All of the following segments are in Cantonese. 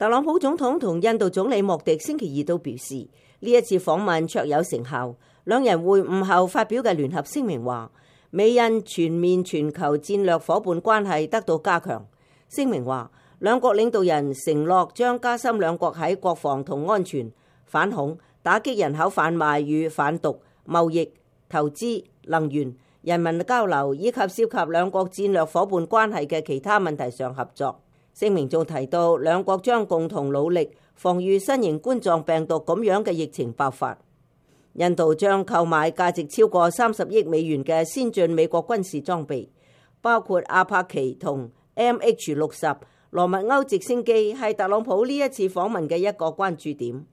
特朗普總統同印度總理莫迪星期二都表示，呢一次訪問卓有成效。兩人會晤後發表嘅聯合聲明話，美印全面全球戰略夥伴關係得到加強。聲明話，兩國領導人承諾將加深兩國喺國防同安全、反恐、打擊人口販賣與販毒、貿易、投資、能源、人民交流以及涉及兩國戰略夥伴關係嘅其他問題上合作。聲明仲提到，兩國將共同努力防禦新型冠狀病毒咁樣嘅疫情爆發。印度將購買價值超過30億美元嘅先進美國軍事裝備，包括阿帕奇同 MH-60羅密歐直升機，係特朗普呢一次訪問嘅一個關注點。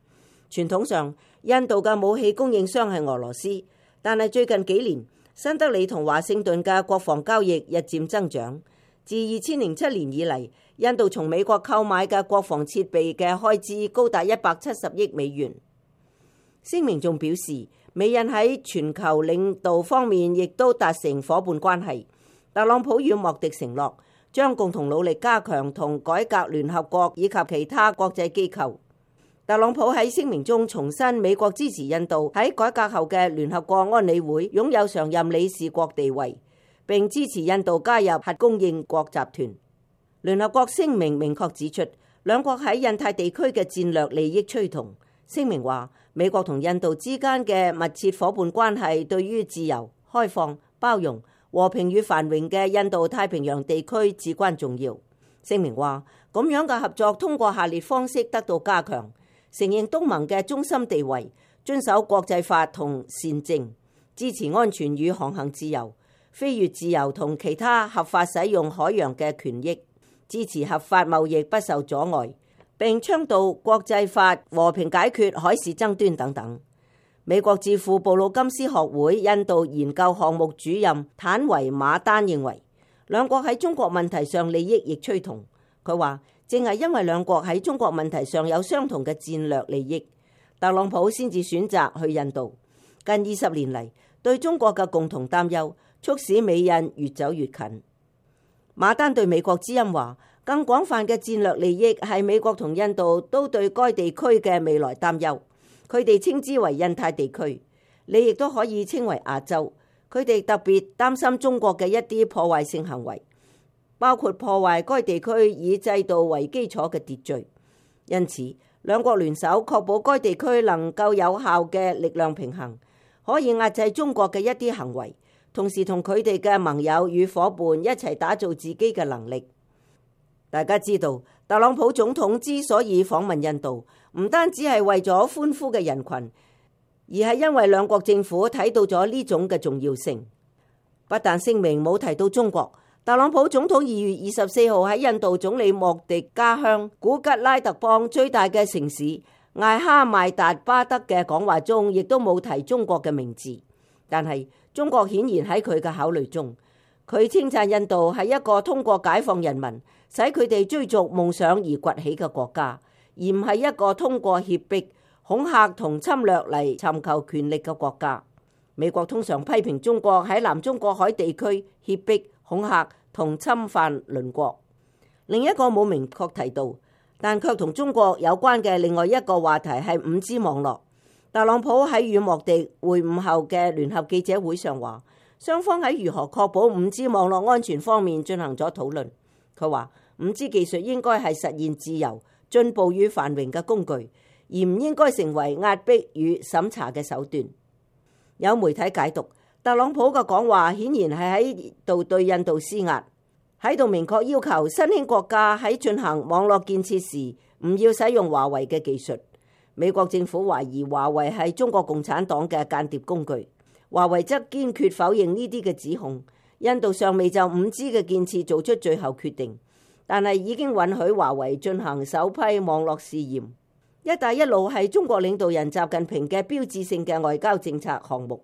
傳統上，印度嘅武器供應商係俄羅斯，但係最近幾年，新德里同華盛頓嘅國防交易日漸增長。自2007年以嚟，印度從美國購買嘅國防設備嘅開支高達170億美元。聲明仲表示，美印喺全球領導方面亦都達成夥伴關係。特朗普與莫迪承諾將共同努力加強同改革聯合國以及其他國際機構。特朗普喺聲明中重申美國支持印度喺改革後嘅聯合國安理會擁有常任理事國地位，並支持印度加入核供應國集團。聯合國聲明明確指出，兩國喺印太地區嘅戰略利益趨同。聲明話，美國同印度之間嘅密切夥伴關係對於自由、開放、包容、和平與繁榮嘅印度太平洋地區至關重要。聲明話，咁樣嘅合作通過下列方式得到加強：承認東盟嘅中心地位，遵守國際法同善政，支持安全與航行自由、飛越自由同其他合法使用海洋嘅權益，支持合法貿易不受阻礙，並倡導國際法和平解決海事爭端等等。美國智庫布魯金斯學會印度研究項目主任坦維馬丹認為，兩國喺中國問題上利益亦趨同。佢話，正係因為兩國喺中國問題上有相同嘅戰略利益，特朗普先至選擇去印度。近20年嚟，對中國嘅共同擔憂，促使美印越走越近。馬丹對美國之音話，更廣泛嘅戰略利益係美國同印度都對該地區嘅未來擔憂。佢哋稱之為印太地區，你亦都可以稱為亞洲。佢哋特別擔心中國嘅一啲破壞性行為，包括破壞該地區以制度為基礎嘅秩序。因此，兩國聯手確保該地區能夠有效嘅力量平衡，可以壓制中國嘅一啲行為，同時同佢哋嘅盟友與夥伴一齊打造自己嘅能力。大家知道，特朗普總統之所以訪問印度，唔單止係為咗歡呼嘅人群，而係因為兩國政府睇到咗呢種嘅重要性。不但聲明冇提到中國，特朗普總統2月24號喺印度總理莫迪家鄉古吉拉特邦最大嘅城市艾哈邁達巴德嘅講話中，亦都冇提中國嘅名字。但係中國顯然喺佢嘅考慮中。佢稱讚印度係一個通過解放人民，使佢哋追逐夢想而崛起嘅國家，而唔係一個通過脅迫、恐嚇同侵略嚟尋求權力嘅國家。美國通常批評中國喺南中國海地區脅迫、恐嚇同侵犯鄰國。另一個冇明確提到，但卻同中國有關嘅另外一個話題係5G網絡。特朗普喺與莫迪會晤後嘅聯合記者會上話，雙方喺如何確保5G網絡安全方面進行咗討論。佢話5G技術應該係實現自由、進步與繁榮嘅工具，而唔應該成為壓迫與審查嘅手段。有媒體解讀，特朗普嘅講話顯然係喺度對印度施壓，喺度明確要求新興國家喺進行網絡建設時唔要使用華為嘅技術。美國政府懷疑華為係中國共產黨嘅間諜工具。華為則堅決否認呢啲嘅指控。印度尚未就5G嘅建設做出最後決定，但係已經允許華為進行首批網絡試驗。一帶一路係中國領導人習近平嘅標誌性嘅外交政策項目，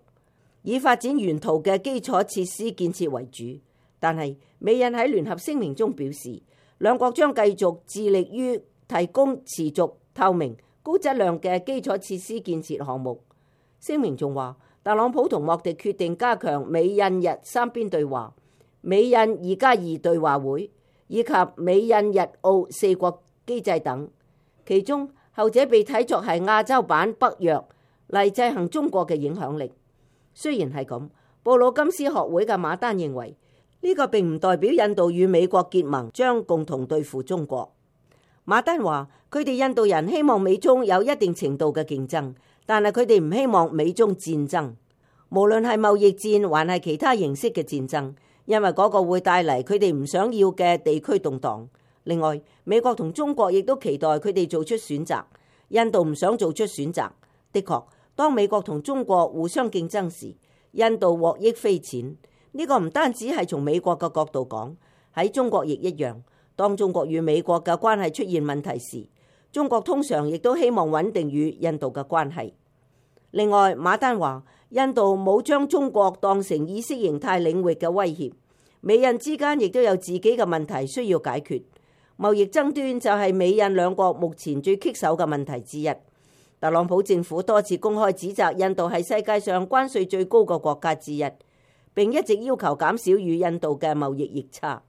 以發展沿途嘅基礎設施建設為主。但係美印喺聯合聲明中表示，兩國將繼續致力於提供持續、透明、高質量嘅基礎設施建設項目。聲明仲話，特朗普同莫迪決定加強美印日3邊對話、美印2+2對話會以及美印日澳4國機制等。其中後者被睇作係亞洲版北約嚟制衡中國嘅影響力。雖然係咁，布魯金斯學會嘅馬丹認為呢個並唔代表印度與美國結盟將共同對付中國。馬丹話佢哋印度人希望美中有一定程度嘅競爭，但係佢哋唔希望美中戰爭，無論係貿易戰還係其他形式嘅戰爭，因為嗰個會帶嚟佢哋唔想要嘅地區動盪。另外，美國同中國亦都期待佢哋做出選擇，印度唔想做出選擇。的確，當美國同中國互相競爭時，印度獲益匪淺。呢個唔單止係從美國嘅角度講，喺中國亦一樣。當中國與美國嘅關係出現問題時，中國通常亦都希望穩定與印度嘅關係。另外，馬丹話印度冇將中國當成意識形態領域嘅威脅，美印之間亦都有自己嘅問題需要解決。貿易爭端就係美印兩國目前最棘手嘅問題之一。特朗普政府多次公開指責印度係世界上關稅最高嘅國家之一，並一直要求減少與印度嘅貿易逆差。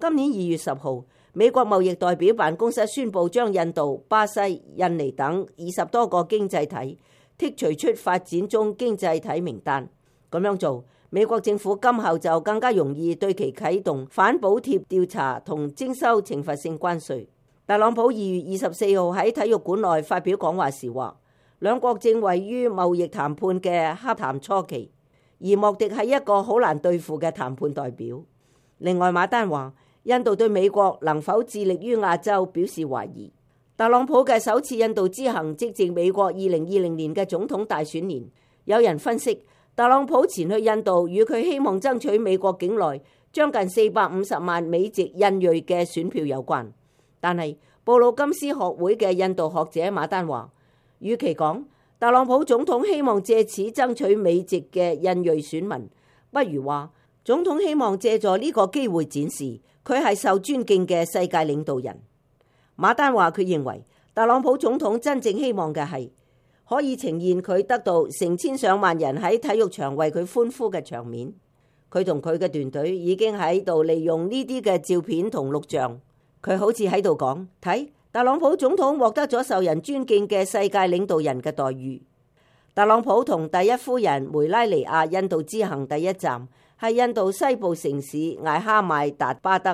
今年2月10號，美國貿易代表辦公室宣布將印度、巴西、印尼等20多個經濟體剔除出發展中經濟體名單。咁樣做，美國政府今後就更加容易對其啟動反補貼調查同徵收懲罰性關稅。特朗普2月24號喺體育館內發表講話時話，兩國正位於貿易談判嘅洽談初期，而莫迪係一個好難對付嘅談判代表。另外，馬丹話印度對美國能否致力於亞洲表示懷疑。特朗普嘅首次印度之行即係美國2020年嘅總統大選年，有人分析特朗普前去印度與佢希望爭取美國境內將近450萬美籍印裔嘅選票有關。但係布魯金斯學會嘅印度學者馬丹話，與其講特朗普總統希望借此爭取美籍嘅印裔選民，不如話總統希望借助呢個機會展示佢係受尊敬嘅世界領導人。馬丹話佢認為特朗普總統真正希望嘅係可以呈現佢得到成千上萬人喺體育場為佢歡呼嘅場面。佢同佢嘅團隊已經喺度利用呢啲嘅照片同錄像。佢好似喺度講，睇特朗普總統獲得咗受人尊敬嘅世界領導人嘅待遇。特朗普同第一夫人梅拉尼亞印度之行第一站係印度西部城市艾哈邁達巴德。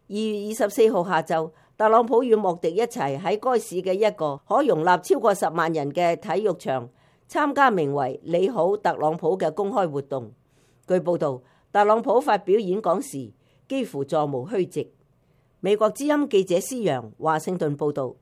2月24號下晝，特朗普與莫迪一齊喺該市嘅一個可容納超過10萬人嘅體育場參加名為「你好，特朗普」嘅公開活動。據報道，特朗普發表演講時幾乎座無虛席。美國之音記者施揚華盛頓報道。